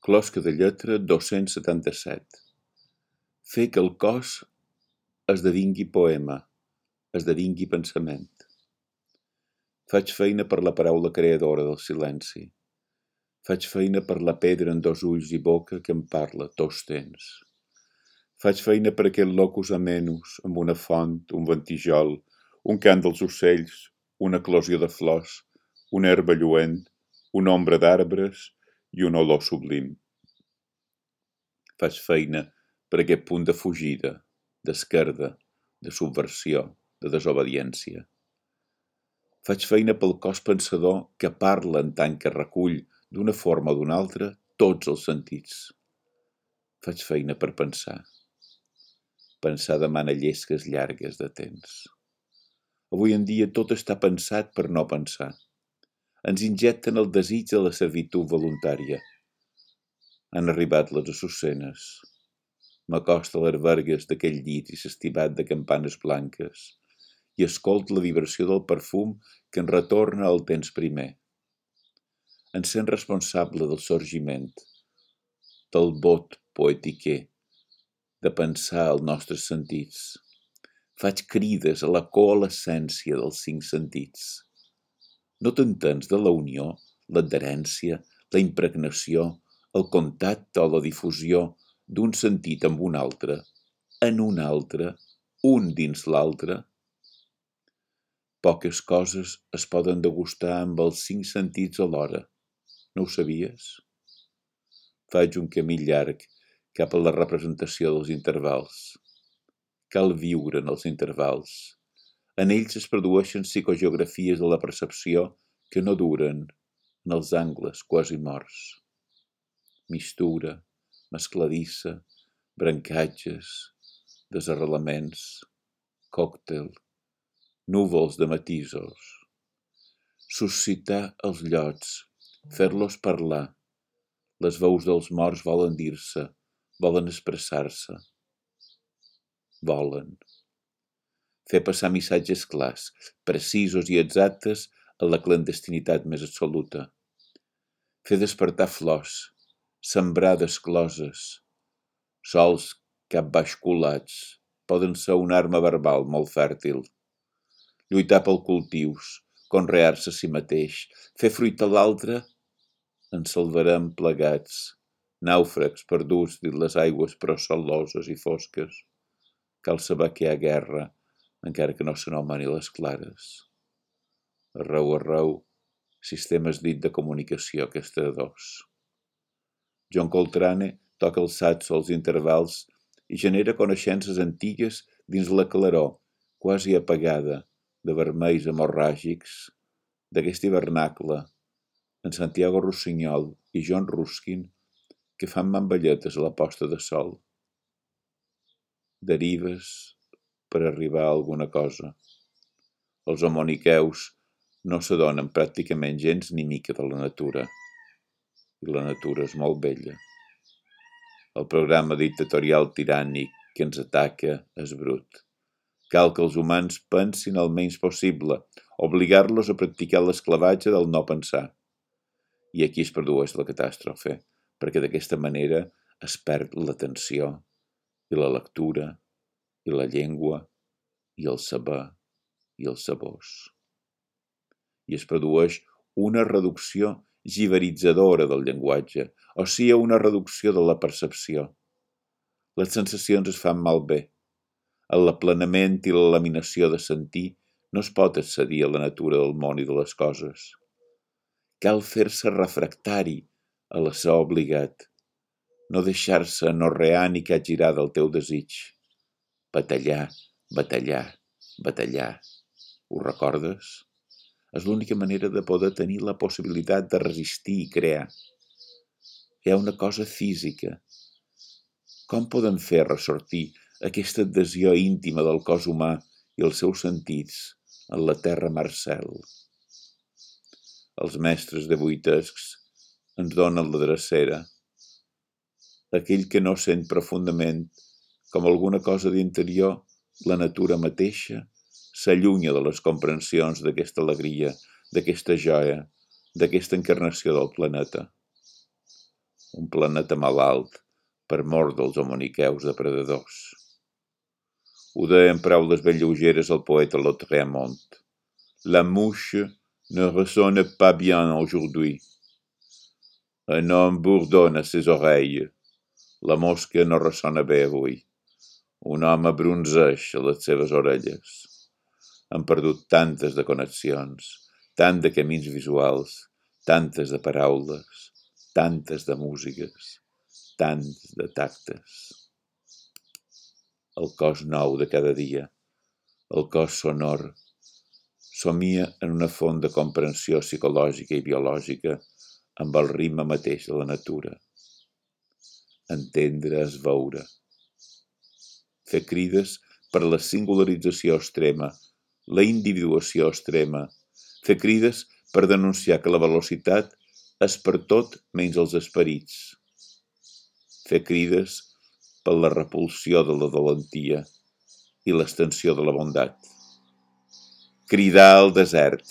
Closca de lletra 277. Fer que el cos esdevingui poema, esdevingui pensament. Faig feina per la paraula creadora del silenci. Faig feina per la pedra en dos ulls i boca que em parla tots temps. Faig feina per aquest locus amenus, amb una font, un ventijol, un cant dels ocells, una eclosió de flors, una herba lluent, una ombra d'arbres i un olor sublim. Faig feina per aquest punt de fugida, d'esquerda, de subversió, de desobediència. Faig feina pel cos pensador que parla en tant que recull, d'una forma o d'una altra, tots els sentits. Faig feina per pensar. Pensar demana llesques llargues de temps. Avui en dia tot està pensat per no pensar. Ens injecten el desig de la servitud voluntària. Han arribat les assucenes. M'acosta a les vergues d'aquell llit i s'estivat de campanes blanques i escolt la vibració del perfum que en retorna al temps primer. En sent responsable del sorgiment, del vot poetiquer, de pensar els nostres sentits. Faig crides a la coalescència dels 5 sentits. No t'entens de la unió, l'adherència, la impregnació, el contacte o la difusió d'un sentit amb un altre, en un altre, un dins l'altre? Poques coses es poden degustar amb els 5 sentits alhora. No ho sabies? Faig un camí llarg cap a la representació dels intervals. Cal viure en els intervals. En ells es produeixen psicogeografies de la percepció que no duren en els angles quasi morts. Mistura, mescladissa, brancatges, desarrelaments, còctel, núvols de matisos. Suscitar els llots, fer-los parlar. Les veus dels morts volen dir-se, volen expressar-se. Volen. Fer passar missatges clars, precisos i exactes a la clandestinitat més absoluta. Fer despertar flors, sembrar descloses. Sols capbaixculats poden ser una arma verbal molt fèrtil. Lluitar pel cultius, conrear-se a si mateix, fer fruitar l'altre, ens salvarem plegats, nàufrags perduts dins les aigües però saloses i fosques. Cal saber que hi ha guerra, encara que no se n'omani les clares. Arreu, sistemes dit de comunicació aquesta de dos. John Coltrane toca el saxo als intervals i genera coneixences antigues dins la claror, quasi apagada, de vermells hemorràgics, d'aquest hivernacle, en Santiago Rossinyol i John Ruskin, que fan mamballetes a la posta de sol. Derives per arribar a alguna cosa. Els homoniqueus no s'adonen pràcticament gens ni mica de la natura. I la natura és molt bella. El programa dictatorial tirànic que ens ataca és brut. Cal que els humans pensin el menys possible, obligar-los a practicar l'esclavatge del no pensar. I aquí es produeix la catàstrofe, perquè d'aquesta manera es perd l'atenció, i la lectura, i la llengua, i el saber, i els sabors. I es produeix una reducció giberitzadora del llenguatge, o sigui, una reducció de la percepció. Les sensacions es fan malbé. En l'aplanament i la laminació de sentir no es pot accedir a la natura del món i de les coses. Cal fer-se refractari a la ser obligat, no deixar-se anorrear ni capgirar del teu desig. Batallar, batallar, batallar. Ho recordes? És l'única manera de poder tenir la possibilitat de resistir i crear. Hi ha una cosa física. Com podem fer ressortir aquesta adhesió íntima del cos humà i els seus sentits en la terra Marcel? Els mestres de buitescs ens donen la drecera. Aquell que no sent profundament com alguna cosa d'interior, la natura mateixa, s'allunya de les comprensions d'aquesta alegria, d'aquesta joia, d'aquesta encarnació del planeta. un planeta malalt per mort dels homoniqueus depredadors. Ho deia en paraules ben lleugeres el poeta Lautréamont. La mouche ne ressonne pas bien aujourd'hui. Un homme bourdonne à ses oreilles. La mosca no ressona bé avui. Un home bronzeix a les seves orelles. Han perdut tantes de connexions, tant de camins visuals, tantes de paraules, tantes de músiques, tants de tactes. El cos nou de cada dia, el cos sonor, somia en una font de comprensió psicològica i biològica amb el ritme mateix de la natura. Entendre és veure. Fer crides per la singularització extrema, la individuació extrema, fer crides per denunciar que la velocitat és per tot menys els esperits, fer crides per la repulsió de la valentia i l'extensió de la bondat, cridar al desert,